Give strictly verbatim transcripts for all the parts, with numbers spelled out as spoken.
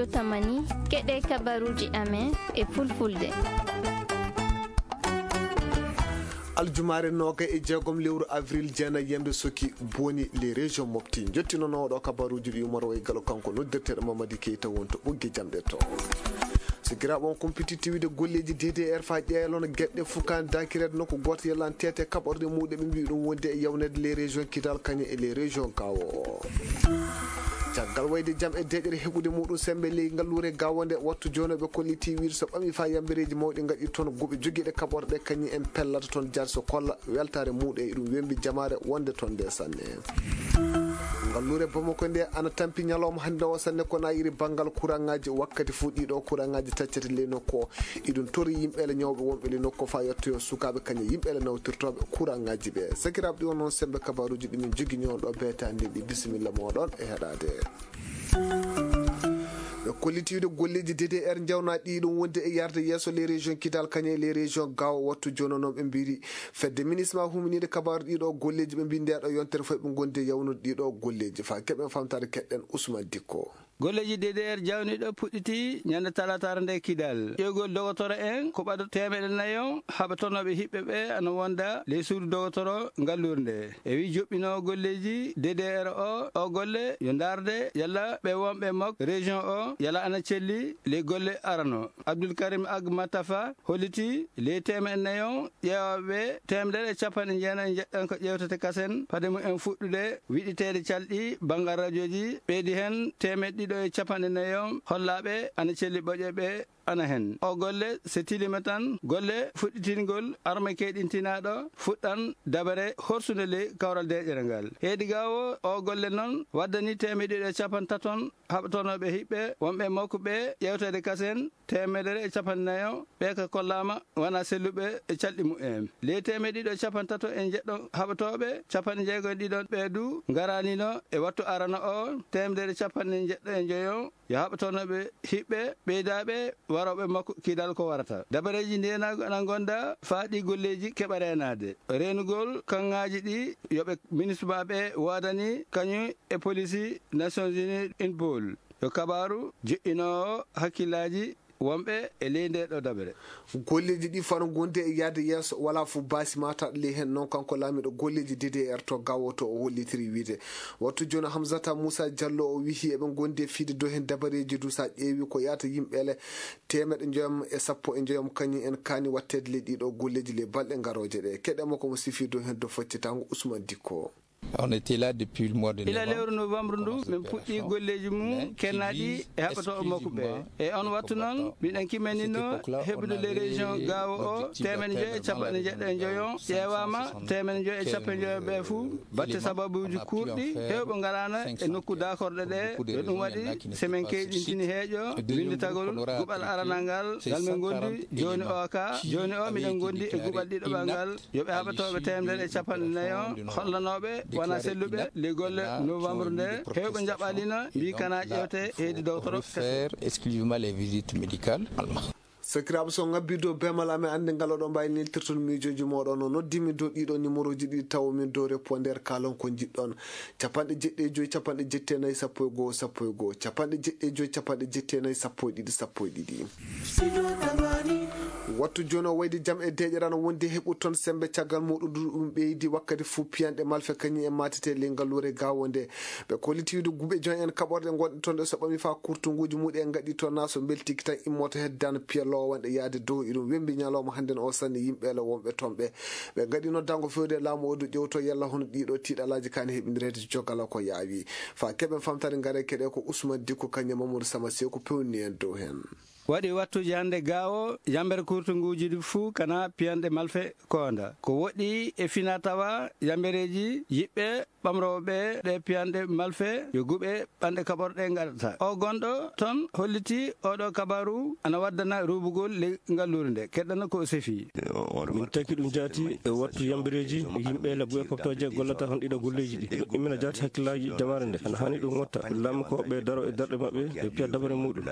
Tamani, keɗe kabaruuji amen e fulfulde. Aljumaare noogay e jeegom lewru avril, jeenay yambe soki boni les régions mofti. Njottino nooɗo kabaruuji ɗi Umar Way Galo, kanko noddirteeɗo Mamadi Keita wonto ɓoggi jamɗe to. Sikiraaɓe on kumpiti tiwide golleeji D D R faa ƴeelono geɗe fukaan dakireede nokku gooto yallan tete kaɓorɗe muuɗum ɓe mbii ɗum wonde e yawneede les régions Kidal kañe e les régions Gao. Caggal wayde jam e deeƴere heɓude muuɗum semmbe ley ngalluure Gao nde, wattu jooni ɓe kolliti wiide so ɓami faa yambereeji mawɗi ngaɗi toon guɓe jogiiɗe kaɓorɗe kañum en pellata toon jaati so kolla weltaare muuɗum e ɗum wembi jamaare wonde toon nde sanne. Ngalluure Bamako nde ana tampi ñalawma hannde o sanne ko na iri banngal kuraŋaaji wakkati fuu ɗiɗo kuraŋaaji taccete ley nokku o. Iɗum tori yimɓe le ñawɓe wonɓe le nokku faa yettoyo sukaaɓe kañe yimɓe le nawtirtooɓe kuraŋaaji ɓe. Sakiraaɓe ɗi on noon semmbe kabaruuji ɗi min jogi ñoon ɗo beetaande ndi bisimilla mooɗon e heɗaade. Ɓe kollitiiɗo golleeji D D R njawna ɗi ɗum wonde e yarde yeeso les régions Kidal kañe les régions Gao wattu jono noon ɓe mbiri fedde minisma huminiiɗe kabaaru ɗiɗo golleeji ɓe mbii ndeeɗo yontere foy ɓe ngondi e yawnude ɗiɗo golleeji faa keɓen famtaade keɗɗen Ousmane Dikko. Golleeji D D R jawniiɗo puɗɗiti ñande talaataare nde Kidal. Ƴeewgol dogotoro en ko ɓado teemeɗe nayo haɓatonooɓe hiɓɓe ɓe ana wonda ley suudu dogotoro ngalluure nde. E wii joɓɓinoowo golleeji D D R o, o golle yo ndaarde yalla ɓe wonɓe mok région o yalla ana celli ley golle arano. Abdul Karim Ag Matafa holliti ley teemeɗe nayo ƴeewaaɓe ɓe, teemedere e capanɗe jeenayi njeɗɗon ko ƴeewtete kasen fade mum en fuɗɗude wiɗiteede calɗi banngal rajooji, ɓeydi heen teemeɗɗe ɗiɗo e capanɗe nayo hollaaɓe ana celli ɓoƴe ɓe ana heen. O golle so tiliima tan, golle fuɗɗitingol arme keyɗintinaaɗo fuɗɗan dabare horsunde ley kawral deeƴere ngal. Heedi Gao, o golle noon waddani teemeɗɗe ɗiɗo e capanɗe taton haɓatonooɓe hiɓɓe wonɓe mokko ɓe ƴeewteede kasen teemedere e capanɗe nayo ɓe ka kollaama wona selluɓe e calɗi mumen. Ley teemeɗɗe ɗiɗo e capanɗe tato e jeɗɗo haɓatooɓe, capanɗe jeego e ɗiɗo ɓe du ngaraanino e wattu arano o, teemedere e capanɗe jeɗɗo e njoyo yo haɓatonooɓe hiɓɓe ɓeydaaɓe warooɓe makko Kidal ko warata. Dabareeji ndeenaagu ana ngonda faa ɗi golleeji keɓa reenaade. Reenugol kaŋŋaaji ɗi yo ɓe minisma ɓe waadani kañum e polisi Nations Unies Interpol. Yo kabaaru joƴƴinoowo hakkillaaji wonɓe e ley ndee ɗoo dabere. Golleeji ɗi fano ngondi e yahde yeeso, walaa fof baasi maataɗo ley heen. Noon kanko laamiiɗo golleeji D D R to Gao to o hollitiri wiide. Wattu jooni Hamsata Muusa Jallo o wihi eɓe ngondi e fiide dow heen dabareeji du so a ƴeewi ko yahata yimɓe ele teemeɗɗe njoyam e sappo e njoyam kañum en kaani watteede ley ɗiɗo golleeji ley balɗe ngarooje ɗe. Keɗe makko mo sifi dow heen dow foccitaango Ousmane Dikko. On était là depuis le mois de Ila novembre, lewru novembre ndu, min puɗɗii golleeji mum kennaaɗi e haɓɓotooɓe makko ɓe. E on wattu noon, miɗen kimmaninno heɓude les régions Gao o, teemeɗɗe njoy e capanɗe jeɗɗo e njoyo, ƴeewaama teemeɗɗe njoy e capanɗe njoyo ɓe fuu, batte sababuuji kuurɗi, heewɓe ngaraano e nokku daakorɗe ɗe, yo ɗum waɗi, so min keyɗintini heeƴo, winnditagol guɓal aranal ngal, ngal min ngondi jooni o ka, jooni o miɗen ngondi e guɓal ɗiɗaɓal ngal, yo ɓe haɓatooɓe teemedere e capanɗe nayo hollanooɓe wona selluɓe ley golle novembre nde, heewɓe njaɓaali no mbii kana ƴeewte heedi dowtoro kese. Faire exclusivement les visites médicales. Sakiraaɓe, so ngabbii dow beemal amen annde ngal oɗon mbaawi neltirtude miijooji mooɗon. No noddiimi dow ɗiɗo numéroji ɗiɗi tawomin dow répondeur kaalon ko njiɗɗon. Capanɗe jeɗɗi e joy, capanɗe jeɗɗi e nayi, sappo e goo, sappo e goo, capanɗe jeɗɗi e joy, capanɗe jeɗɗi e nayi, sappo e ɗiɗi, sappo e ɗiɗi. Wattu jooni o wayde jam e deeƴere ana wondi e heɓude toon semmbe caggal muuɗum ɗum ɓeydi wakkati fuu piyanɗe malfe kañum en maatete ley ngalluure Gao nde. Ɓe kolliti wiide guɓe joom en kaɓorɗe ngonɗe toon ɗe so ɓami faa kurtunguuji muɗum en ngaɗi toon na so mbeltike tan immoto hedde dana piya loowanɗe yahde dow. Iɗum wembi ñalawma hannden o sanne yimɓe ele wonɓe toon ɓe. Ɓe ngaɗi noddaango fewde e laamu o du ƴewto yalla hono ɗiɗo tiiɗalaaji kaani heɓindireede jogal ko yaawi. Faa keɓen famtaade ngare keɗe ko Ousmane Dikko kañum e Mamadou Sama Seeku pewni en dow heen. Waɗi wattuuji hannde Gao, yambere kurtunguuji ɗi fuu kana piyanɗe malfe koonda. Ko woɗɗi e fina tawa yambereeji yiɓɓe ɓamrooɓe ɓe ɗe piyanɗe malfe yo guɓe ɓanɗe kaɓorɗe ngaɗata. O gonɗo toon holliti oɗo kabaru ana waddana ruubugol ley ngalluure nde. Keɗɗana ko o sefi. Min taki ɗum jaati e wattu yambereeji yimɓe le guɓe koftooje gollata hon ɗiɗo golleeji ɗi. Ɗum ina jaati hakkillaaji jamaare nde. Ana haani ɗum watta. Laamu ko ɓe daro e darɗe maɓɓe ɓe piya dabare muuɗum.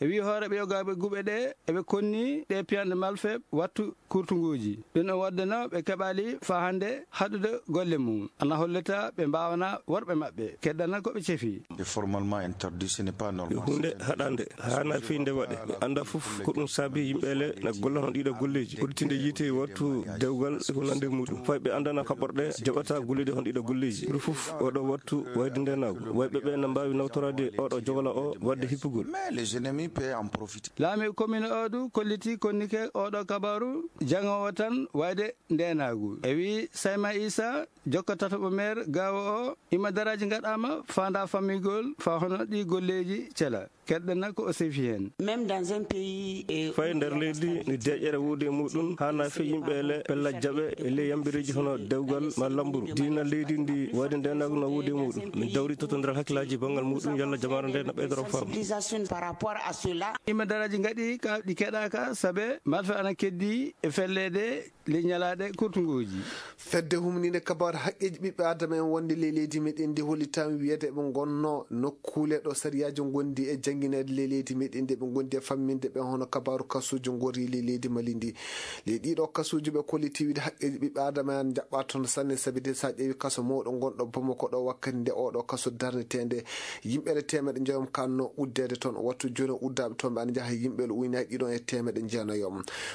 E wii hooreeɓe yo Sukaaɓe guɓe ɗee, eɓe konni ɗee piyanɗe malfeeɓe wattu kurtunguuji. Ɗum no waɗde no ɓe keɓaali faa hannde haɗude golle mum. Ana hollita ɓe mbaawanaa worɓe maɓɓe, keddana ko ɓe cefi. Est formellement interdit, ce n'est pas normal. Ko huunde haɗaande, haanaa fii nde waɗe. Mi anndaa fof ko ɗum saabii yimɓe ele na golla hono ɗiɗo golleeji. Udditinde yiite e wattu dewgal e ko nanndi e muuɗum. Fay ɓe anndana kaɓorɗe jaɓataa gollude hono ɗiɗo golleeji. Ɓuri fof oɗo wattu wayde ndeenaagu. Wayɓe ɓe na mbaawi nawtoraade oɗo jogla o waɗde hippugol. Mais les ennemis peuvent en profiter. Laamiiɗo commune oo du kollitii konnike oɗo kabaaru jaŋoowo tan wayde ndeenaagu. E wii Sayma Isa, jokka tataɓo meer gaawo o, imadaraaji ngaɗaama faandaa fammingol faa hono ɗii golleeji cela. Keddana ko o sefi heen. Même dans un pays, eh, Fay nder leydi ndi deeƴere woodi e muuɗum, haanaa fii yimɓe ele pella jaɓe e ley yambireeji hono dewgal ma lamburu. Diina leydi ndi wayde ndeenaagu na woodi e muuɗum. Min dawritoto nder hakkillaaji banngal muuɗum, yalla jamaare nde na ɓeydoro faamu. Sensibilisation par rapport à cela. Imadaraaji ngaɗi ka ɗi keɗaaka, sabe malfa ana keddi e felleede ley ñalaaɗe kurtunguuji. Fedde humniinde kabaaru haqqeeji ɓiɓɓe aadama en wonde ley leydi meɗen ndi hollitaama wiyeede ɓe ngonnoo nokkuule ɗo sariyaaji ngondi e janngineede ley leydi meɗen ndi ɓe ngondi e famminde ɓe hono kabaaru kasuuji ngorri ley leydi Mali ndi. Ley ɗiɗo kasuuji ɓe kolliti wiide haqqeeji ɓiɓɓe aadama en ana njaɓɓaa toon sanne, sabi de so a ƴeewi kaso mawɗo ngonɗo Bamako ɗo wakkati nde oɗo kaso darneteende yimɓe le teemeɗe njoyom kanno uddeede toon. Wattu jooni o uddaaɓe toon ɓe ana njaha yimɓe le ujunnaaji ɗiɗon e teemeɗe jeenayo.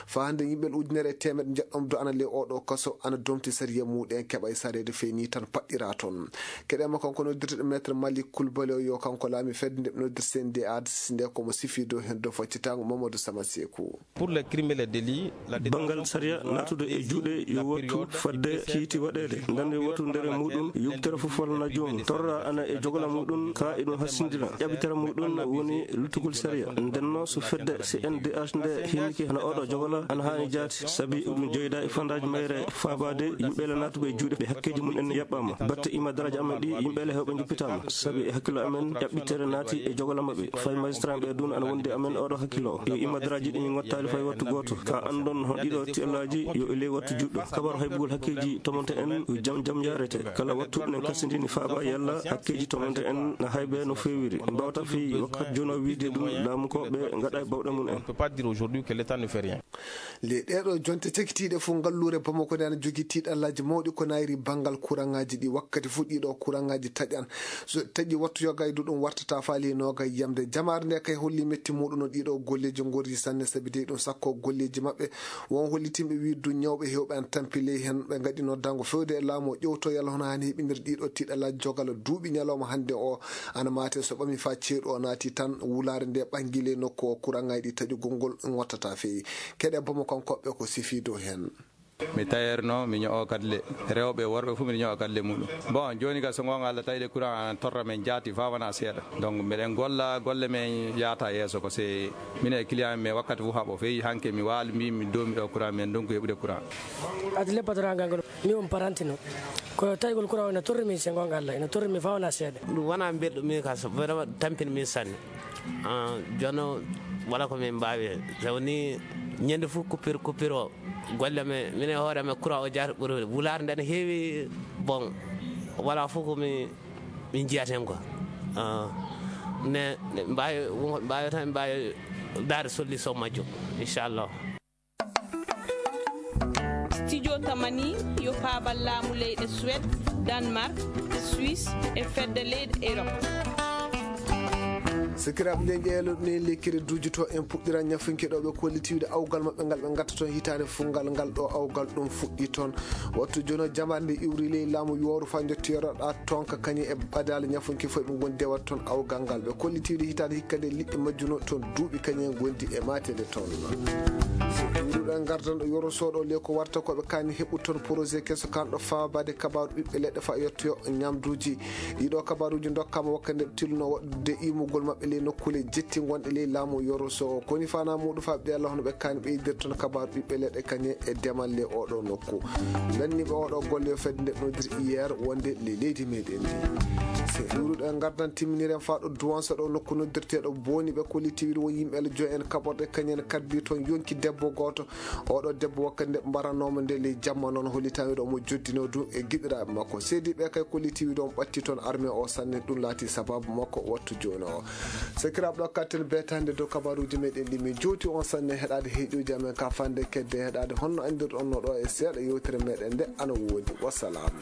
Faa hannde yimɓe le ujunere e teemeɗe njeɗɗon du ana ley oɗo kaso ana domti sariya muuɗum en keɓa e sareede fey ni tan paɗɗiraa toon. Keɗee ma kanko noddirteɗo maître Malik Kulbali o yo kanko laami fedde nde ɓe noddirta C N D A nde ko mo sifi dow heen dow faccitaango Mamadou Sama Seeku. Pour les crimes et les délits, la Banngal sariya naatude e juuɗe yo wattu fadde kiiti waɗeede. Ndande wattu ndere muuɗum, yubtere fof walla na joomum. Torra ana e jogla muuɗum, ka eɗum hassindira. Ƴaɓitere muuɗum woni luttugol sariya. Ndennoo so fedde C N D H nde hinnike hono oɗo jogla ana haani jaati, sabi eɗum jeyda e fandaaji mayre faabaade yimɓe le naatuɓe e juuɗe ɓe hakkeeji mum en yaɓɓaama. Batte imadaraaji amen ɗi, yimɓe le heewɓe njoppitaama, sabi e hakkillo amen ƴaɓɓitere naati e jogla maɓɓe. Fay magistrat ɓe dun ana wondi e amen oɗo hakkillo. Yo imadaraaji ɗi ngottaali fay wattu gooto. Ka anndon hono ɗiɗo tiellaaji yo e ley wattu juɗɗo. Kabaru haybugol hakkeeji tomonte en yo jam jam yaarete. Kala wattu nen kasindini faaba yalla hakkeeji tomonte en na haybe no feewiri. En mbawta fii wakkati jooni o wiide ɗum laamu ko ɓe ngaɗa e bawɗe mum en. On peut pas dire aujourd'hui que l'État ne fait rien. Ley ɗeeɗoo jonte cakitiiɗe fof, ngalluure Bamako nde ana jogii tiiɗallaaji mawɗi ko naayri banngal kuraŋaaji ɗi. Wakkati fof ɗiɗo kuraŋaaji taƴan. So taƴi wattu yoga e ɗum wartata faali e nooga yiyamde. Jamaare nde kay holli metti muuɗum no ɗiɗo golleeji ngorri sanne, sabi dey ɗum sakko golleeji maɓɓe. Won hollitinɓe wii du ñawɓe heewɓe ana tampi ley heen. Ɓe ngaɗi noddaango feewde e laamu o ƴewto yalla hono haani heɓinir ɗiɗo tiiɗallaaji jogal duuɓi ñalawma hannde o ana maate so ɓami faa ceeɗu o naati tan wulaare nde ɓangi ley nokku o kuraŋaaji ɗi taƴugol ngol ngottata feewi. Keɗe Bamako kanko ɓe ko sifi dow heen. Mi tailleur no, mi ño'o kadle. Rewɓe, worɓe fof miɗo ño'a kadle muɗum. Bon, jooni ka so ngoonga Allah tawi de courant an torra men jaati faa wona seeɗa. Donc, miɗen golla, golle men yaata yeeso ko se minen e client men wakkati fof haɓo. Feyi hanke mi waali mbi mi doomi ɗo courant men ndonku heɓude courant. Adle patron ngal ngol, mi on paranti no. Ko tawi ngol courant o ina torri min se ngoonga Allah, ina torri min faa wona seeɗa. Ɗum wona belɗum min ka so vraiment tampini min sanne. Ah, jooni o wala ko min mbaawi. So woni ñande fof coupure, coupure o. Golle men, minen e hoore amen, courant o jaati ɓuri wulaare nde ne heewi, bon, wala fof ko mi, min njiyata heen quoi. Ah, ne, ne mbaawi, won ko ɓe mbaawi tan, ɓe mbaawi daade solution majjum, inchallah. Studio Tamani yo faabal laamu leyɗe Suède, Danemark, Suisse e fedde leyɗe Europe. Sakiraaɓe, nden ƴeeloɗen lekkere duujotoo en puɗɗiran ñafunke ɗo ɓe kolliti wiide awgal maɓɓe ngal ɓe ngatta toon hitaande fof ngal, ngal ɗo awgal ɗum fuɗɗi toon. Wattu jooni o jamaare nde iwri ley laamu yooru faa njotti yoroɗa toon ka kañum e ɓadaali ñafunke fof ɓe ngondi dewat toon awgal ngal. Ɓe kolliti wiide hitaande hikka nde liɗɗi majjuno toon duuɓi kañum en ngondi e maateede toon. Ɗuɗuɗen ngardan ɗo yoro sooɗo le ko warta ko ɓe kaani heɓu toon projet keso kanɗo faabaade kabaaru ɓiɓɓe leɗɗe faa yettoyo ñamduuji. Ɗiɗo kabaaruuji ndokkaama wakkati nde ɓe tilnoo waɗude imugol maɓɓe ley nokkuule jetti ngonɗe ley laamu yoro so o koni faanaa muuɗum faa ɓe Allah hono ɓe kaani ɓeydir toon kabaaru ɓiɓɓe leɗɗe kañe e demal ley oɗo nokku. Lanniiɓe oɗo golle yo fedde nde nodir hier wonde ley leydi meɗen ndi. Se ɗuuruɗo en ngardan timminiren faa ɗo Duwansa ɗo nokku noddirteeɗo Booni ɓe kolliti wiide won yimɓe Allah joyi en kaɓorɗe kañen kaddi toon yonki debbo gooto Oɗo debbo wakkati nde mbaranoomo nde ley jamma noon, hollitaa wiɗo omo joddinoo duu e giɗiraaɓe makko. Seediiɓe kay kollitii wiɗo omo ɓatti toon armee o sanne, ɗum laatii sabaabu makko wattu jooni o. Sakiraaɓe, ɗo katten beetaande dow kabaaruuji meɗen ɗi min jowti on sanne heɗaade heɗiiɗo amen ka fande kedde heɗaade honno anndirɗon no ɗo e seeɗa yewtere meɗen nde ana woodi. Wasalaam.